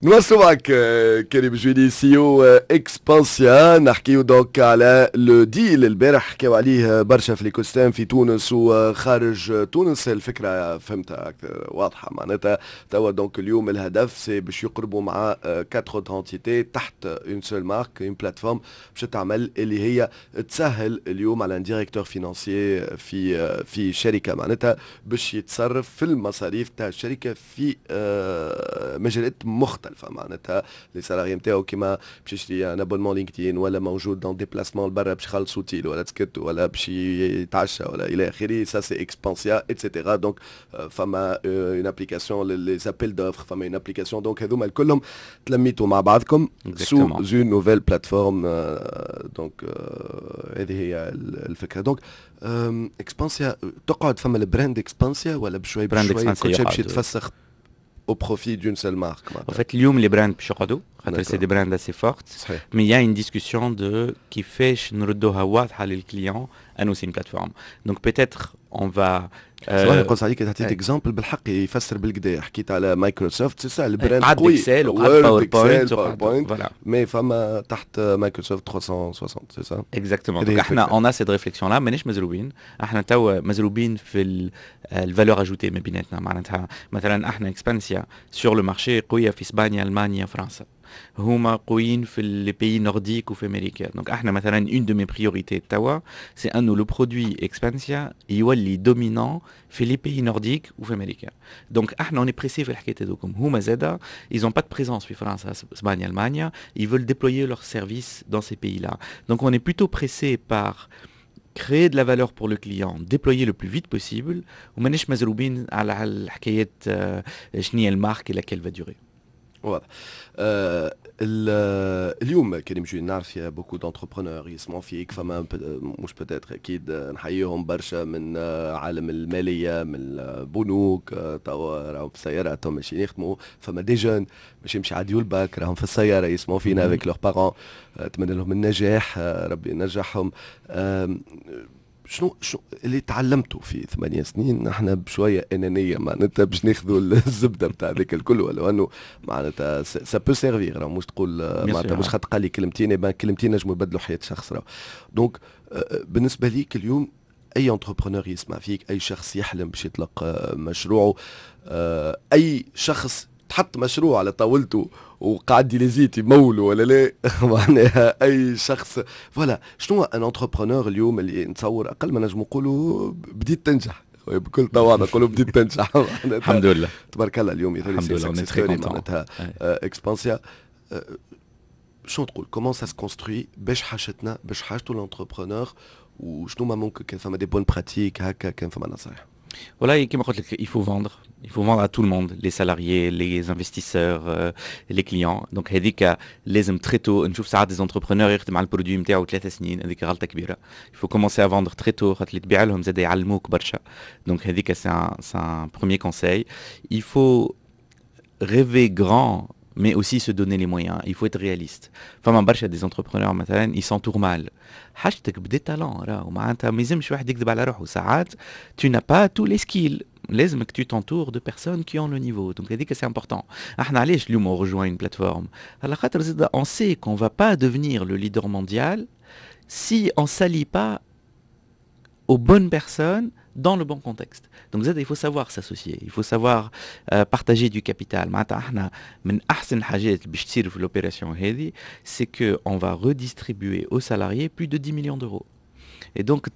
نواصلوا معك كريم جويني، CEO Expensya. نحكيو donc على le deal البارح، حكاو عليه برشا في l'écosystème في تونس وخارج تونس. الفكرة فهمتها واضحه، معناتها توا donc اليوم الهدف c'est باش يقربوا مع quatre entités تحت une seule marque، une plateforme باش تعمل اللي هي تسهل اليوم على un directeur financier في شركه، معناتها باش يتصرف في المصاريف تاع الشركة في مجالات مختلفه، معناتها les salariés نتاعو، كيما باش يشري un abonnement LinkedIn، ولا موجود dans déplacement لبرا باش يخلص اوتيل ولا تسكت ولا باش يتعشى ولا الى اخره، ça c'est Expensya et cetera. donc فما une application les appels d'offres، فما une application، donc هذوما الكلهم تلميتوا مع بعضكم sous une nouvelle plateforme. donc هذه هي الفكره. donc Expensya تقعد، فما ال brand Expensya ولا بشوي بشوي كل شيء باش يتفسخ au profit d'une seule marque؟ En fait, اليوم les brands باش يقعدوا خاطر c'est des brands assez fortes. Mais il y a une discussion de كيفاش نردوها واضحة لل client انه c'est une plateforme. Donc peut-être on va صراحة نقص عليك، تعطيت exemple بالحق يفسر بالقدا، حكيت على Microsoft، c'est ça ال brand. قوي، Excel وقعد PowerPoint، mais فما تحت مايكروسوفت 360، c'est ça؟ Exactement. donc احنا on a cette réflexion-là. مانيش مزروبين، احنا توا مزروبين في ال valeur ajoutée ما بيناتنا. معناتها مثلا احنا Expensya sur le marché قوية في اسبانيا، المانيا، فرنسا، هما قويين في les pays nordiques وفي امريكا. donc احنا مثلا une de mes priorités توا c'est انه le produit Expensya يولي dominant في les pays nordiques وفي امريكا. donc احنا on est pressé في الحكاية هذوكم. هما زادا ils ont pas de présence في فرنسا، اسبانيا، المانيا، ils veulent déployer leurs services dans ces pays-là. Donc on est plutôt pressé par créer de la valeur pour le client، déployer le plus vite possible، ومانيش مزروبين على الحكايات شنو هي ال marque et laquelle va durer. واضح. اليوم كريم جويني، نعرف فيها beaucoup d'entrepreneurs يسمعوا فيك، فما مش peut-être، اكيد نحييهم برشا من عالم الماليه، من البنوك، توا راهم في السياره، تو ماشيين يخدموا، فما des jeunes باش يمشي يعديوا الباك، راهم في السيارة يسمعوا فينا avec leurs parents، اتمنى لهم النجاح، ربي ينجحهم. شنو اللي تعلمته في 8 سنين؟ نحن بشوية انانيه، معناتها باش ناخذوا الزبدة بتاع ذاك الكل، ولو انه معناتها ça peut servir، مش تقول معناتها مش خاطر قال لي كلمتين، كلمتين نجموا يبدلوا حياة شخص. donc بالنسبة ليك اليوم، اي entrepreneur يسمع فيك، اي شخص يحلم باش يطلق مشروعه، اي شخص تحط مشروع على طاولته وقاعد يليزيت يمولوا ولا لا، معناها اي شخص، voilà، شنو un entrepreneur اليوم اللي نتصور اقل ما نجم نقولوا بديت تنجح، بكل تواضع نقولوا بديت تنجح. الحمد لله. تبارك الله، اليوم الحمد لله. معناتها Expensya، شنو تقول؟ comment ça se construit؟ باش حاجتنا، باش حاجته l'entrepreneur، وشنو ما ممكن كان فما des bonnes pratiques هكا، كان فما نصايح؟ Voilà, كما قلت لك، il faut vendre. Il faut vendre à tout le monde، les salariés، les investisseurs، les clients. Donc هذيك لازم très tôt. نشوف ساعات des entrepreneurs يخدم على ال produit نتاعو 3 سنين، هذيك غلطه كبيره. Il faut commencer à vendre très tôt، خاطر اللي تبيع لهم زاد يعلموك برشا. Donc هذيك c'est un premier conseil. Il faut rêver grand mais aussi se donner les moyens. Il faut être réaliste. فما برشا des entrepreneurs مثلا ils s'entourent mal. حاجتك ب des talents راهو، معناتها ما يلزمش واحد يكذب على روحه. ساعات tu n'as pas tous les skills، لازمك tu t'entoures de personnes qui ont le niveau. donc هذيك c'est important. احنا علاش اليوم on rejoint une plateforme؟ على خاطر زاد on sait qu'on va pas devenir le leader mondial si on s'allie pas aux bonnes personnes dans le bon contexte. Donc زاد il faut savoir s'associer، il faut savoir partager du capital. معناتها احنا من احسن الحاجات اللي باش تصير في l'opération هذه c'est que on va redistribuer aux salariés plus de 10 millions d'euros. Et donc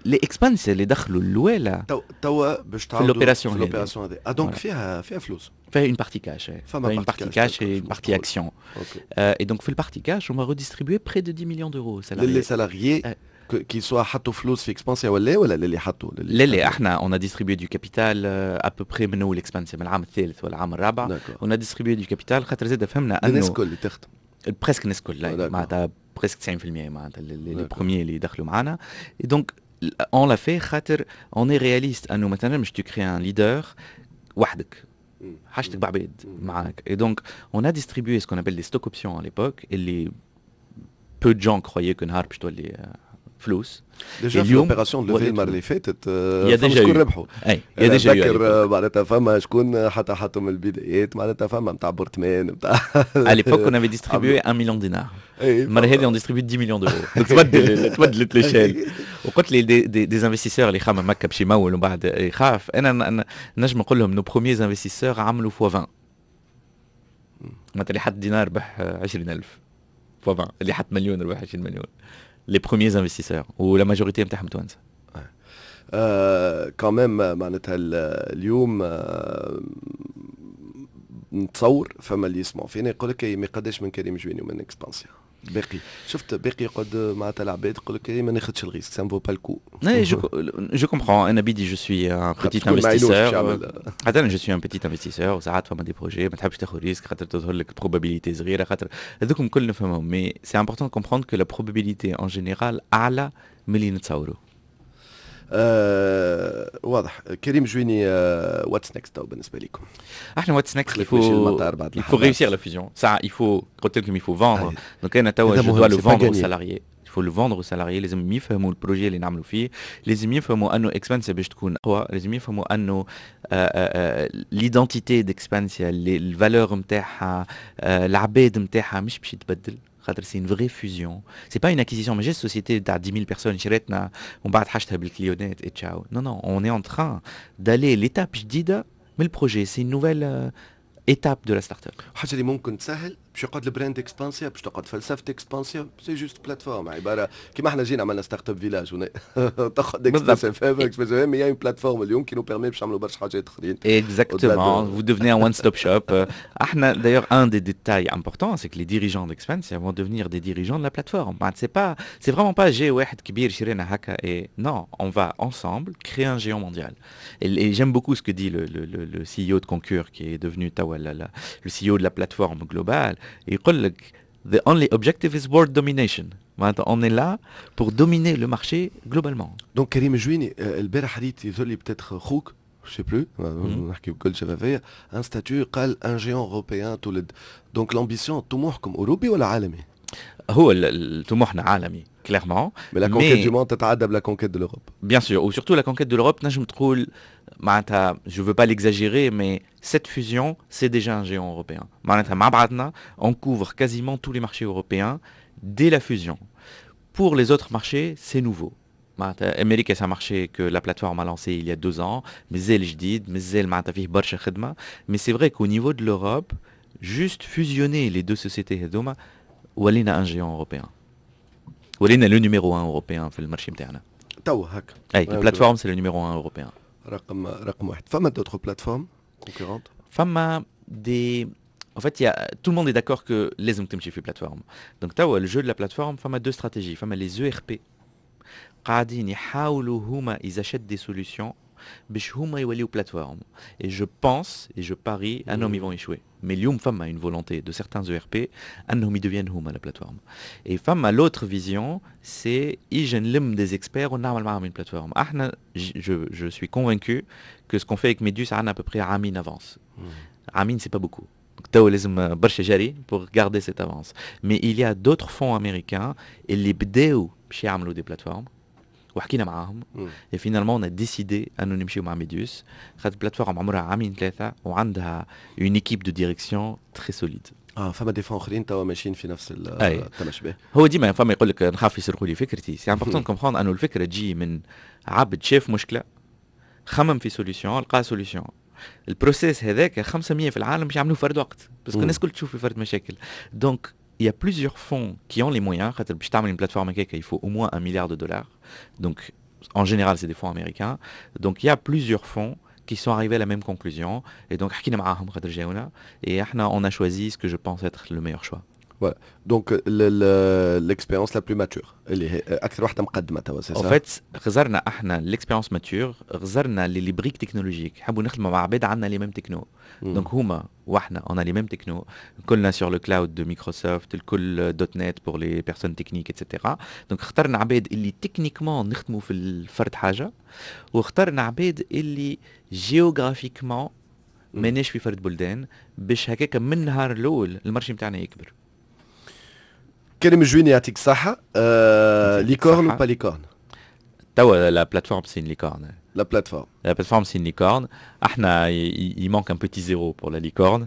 les Expensya اللي دخلوا الاولى توا باش في l'opération. في l'opération هذه، اه donc فيها فلوس؟ فيها une partie cash، فيها une partie cash et une partie action. Et donc في ال partie cash on va redistribuer près de 10 millions d'euros. Les salariés qui soient حطوا فلوس في Expensya ولا اللي حطوا؟ لا لا، احنا on a distribué du capital à peu près من اول Expensya، من العام الثالث ولا العام الرابع on a distribué du capital، خاطر زاد فهمنا انه الناس الكل اللي تخدم. presque الناس الكل، معناتها presque 90%، معناتها les premiers اللي دخلوا معنا. donc on l'a fait خاطر on est réaliste انه مثلا مش tu crées un leader وحدك، حاجتك بعباد معاك. et donc on a distribué ce qu'on appelle des stock options à l'époque، اللي peu de gens croyaient que نهار باش تولي فلوس. déjà في l'opération de levée المرة اللي فاتت يا déjà شكون ربحوا. اي يا déjà نذكر معناتها فما شكون حتى حطوا من البدايات، معناتها فما نتاع برتمان نتاع À l'époque, on avait distribué 1 million de dinars. المرة هذه on distribue 10 millions d'euros. Donc تبدلت l'échelle. وقلت لي des investisseurs اللي خمم هكا باش يمول ومن بعد يخاف، انا نجم نقول لهم nos premiers investisseurs عملوا fois 20. معناتها اللي حط دينار ربح 20000 fois 20، اللي حط مليون ربح 20 مليون. les premiers investisseurs و la majorité نتاعهم توانسة. Quand même معناتها اليوم نتصور فما اللي يسمعوا فينا يقول لك ما قداش من كريم جويني ومن Expensya باقي، شفت باقي يقعد معناتها العباد يقول لك ما ناخذش ال risque، ça vaut pas le coup. je comprends، انا بيدي je suis un petit investisseur، حتى انا je suis un petit investisseur، وساعات فما des projets ما تحبش تاخذ risque خاطر تظهر لك probabilité صغيره، خاطر هذوكم الكل نفهمهم، mais c'est important comprendre que la probabilité en général اعلى من اللي نتصوروا. واضح. كريم جويني، what's next تو بالنسبة لكم؟ احنا what's next، il faut réussir la fusion. ça il faut، قلت لكم il faut vendre. donc انا توا je dois le vendre aux salariés، il faut le vendre aux salariés. لازم يفهموا ال projet اللي نعملوا فيه، لازم يفهموا انه Expensya باش تكون اقوى، لازم يفهموا انه l'identité d'Expensya، ال valeurs نتاعها، العباد نتاعها مش باش يتبدل، خاطر c'est une vraie fusion، c'est pas une acquisition. ماهيش société تاع 10000 personnes شريتنا ومن بعد حاجتها بال clientات et ciao. non non، on est en train d'aller l'étape جديدة من ال projet، c'est une nouvelle étape de la startup. حاجة اللي ممكن تسهل باش يقعد ال brand Expensya، باش تقعد فلسفة Expensya، c'est juste plateforme، عبارة كيما احنا جينا عملنا Startup Village تاخذ Express FM، Express FM هي une plateforme اليوم qui nous permet باش نعملوا برشا حاجات اخرين. Exactement, vous devenez un one-stop shop. احنا d'ailleurs un des détails importants، c'est que les dirigeants d'Expensya vont devenir des dirigeants de la plateforme. C'est pas c'est vraiment pas جي واحد كبير شرينا هكا et non، on va ensemble créer un géant mondial. Et j'aime beaucoup ce que dit le CEO de Concur qui est devenu توا le CEO de la plateforme globale. يقول لك the only objective is world domination. معناتها on est là pour dominer le marché globalement. donc كريم جويني، البارح ريت يظهر لي peut-être خوك، je sais plus، نحكي بكل شفافيه، un statut قال un géant européen تولد. donc l'ambition، طموحكم اوروبي ولا عالمي؟ هو طموحنا عالمي clairement. Mais la conquête du monde تتعدى ب la conquête de l'Europe. Bien sûr، و surtout la conquête de l'Europe. نجم تقول معناتها je veux pas l'exagérer، mais cette fusion c'est déjà un géant européen. معناتها مع بعضنا on couvre quasiment tous les marchés européens dès la fusion. Pour les autres marchés c'est nouveau. معناتها امريكا c'est un marché que la plateforme a lancé il y a 2 ans، مازال جديد، مازال معناتها فيه برشا خدمه، mais c'est vrai qu'au niveau de l'Europe، juste fusionner les deux sociétés هذوما ولينا un géant européen، ولينا le numéro 1 européen في ال marché نتاعنا. تو هكا. اي، ال plateforme c'est le numéro 1 européen. رقم واحد. فما d'autres plateformes concurrentes؟ فما des En fait, tout le monde est d'accord que لازم تمشي في plateforme. Donc توا le jeu de la plateforme، فما deux stratégies، فما les ERP قاعدين يحاولوا هما ils achètent des solutions باش هما يوليو plateforme. Et je pense et je parie انهم ils vont échouer. Mais اليوم فما une volonté de certains ERP انهم ils deviennent هما la plateforme. Et فما l'autre vision، c'est يجي نلم des experts ونعمل معاهم une plateforme. احنا je suis convaincu que ce qu'on fait avec Medius عندنا à peu près عامين avance. عامين c'est pas beaucoup. تو لازم برشا جري pour garder cette avance. Mais il y a d'autres fonds américains اللي بداو باش يعملوا des plateformes وحكينا معاهم et finalement on a décidé انه نمشيو مع Medius خاطر plateforme عمرها عامين ثلاثة وعندها une équipe de direction très solide. اه، فما des fonds اخرين توا ماشيين في نفس التمشي. هو ديما فما يقول لك نخاف يسرقوا لي فكرتي. c'est important comprendre انه الفكرة تجي من عبد شاف مشكله، خمم في solution، لقى solution. ال processus هذاك 500 في العالم باش يعملوه فرد وقت، parce que الناس الكل تشوف في فرد مشاكل. donc il y a plusieurs fonds qui ont les moyens. خاطر باش تعمل une plateforme هكاك il faut au moins 1 milliard de dollars. Donc en général c'est des fonds américains. Donc il y a plusieurs fonds qui sont arrivés à la même conclusion et donc حكينا معاهم خاطر جاونا et احنا on a choisi ce que je pense être le meilleur choix. Voilà. Donc l'expérience la plus mature اللي هي اكثر واحدة مقدمه توا، c'est En fait غزرنا احنا l'expérience mature، غزرنا les briques technologiques، حبوا نخدموا مع عباد عندنا les mêmes technos. donc هما واحنا on a les mêmes technos، كلنا sur le cloud de Microsoft، الكل .NET pour les personnes techniques et cetera. donc اخترنا عباد اللي techniquement نخدموا في الفرد حاجه، واخترنا عباد اللي géographiquement ماناش في فرد بلدان، باش هكاك من النهار الاول ال marché نتاعنا يكبر. كريم الجويني، يعطيك الصحه. Licorne ou pas licorne؟ توا la plateforme, c'est une licorne. La plateforme. La plateforme, c'est une licorne. احنا il manque un petit zéro pour la licorne.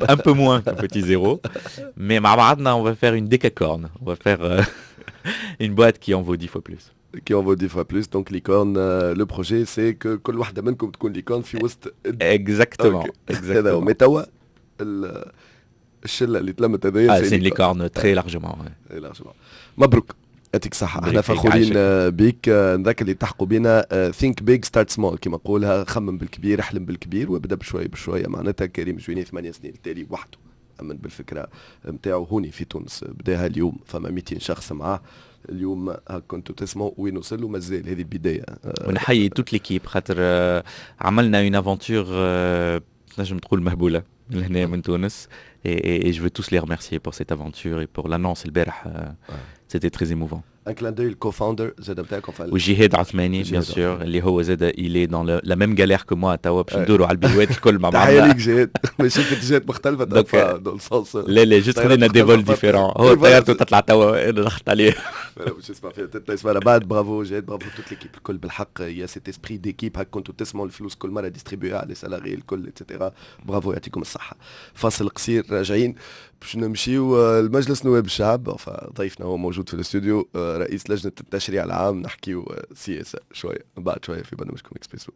Un peu moins qu'un petit zéro. Mais مع بعضنا on va faire une décacorne. On va faire une boîte qui en vaut 10 fois plus. Qui en vaut 10 fois plus. Donc licorne, le projet, c'est que كل واحدة منكم تكون licorne في وسط. Exactement. Exactement. Mais توا الشلة اللي تلمت هذايا Ah, c'est une licorne très largement. Ouais. Très largement. مبروك. يعطيك الصحة، احنا فخورين بيك. نذكر اللي التحقوا بنا، think big, start small، كما نقولها، خمم بالكبير، احلم بالكبير وابدا بشوي بشوية. معناتها كريم جويني 8 سنين التالي وحده امن بالفكرة نتاعو هوني في تونس، بداها. اليوم فما 200 شخص معاه. اليوم هاك كنتوا تسمعوا وين وصلوا، مازال هذه البداية. ونحيي toute l'équipe خاطر عملنا une aventure تنجم تقول مهبولة من هنا من تونس et je veux tous les remercier pour cette aventure et pour l'annonce البارح, c'était très émouvant. Un clin d'œil ال co-founder زاد نتاعكم. وجهاد عثماني bien sûr، اللي هو زاد il est dans la même galère que moi. توا باش ندوروا على البيوات الكل مع بعضنا. تحية ليك جهاد، ماشي في اتجاهات مختلفة. Dans le sens لا لا، juste خلينا des vols différents. هو طيارته تطلع توا، انا ضغط عليه. باش يسمع فيها يسمع بعد. برافو جهاد، bravo toute l'équipe الكل. بالحق il y a cet esprit d'équipe، هاك كنتوا تسمعوا، الفلوس كل مرة distribuées على les salariés الكل et cetera. Bravo، يعطيكم الصحة. فاصل قصير، راجعين باش نمشيو لمجلس نواب الشعب. ضيفنا هو موجود في الاستوديو، رئيس لجنة التشريع العام. نحكيو سياسة شوية بعد شوية في برنامجكم اكسبريسو.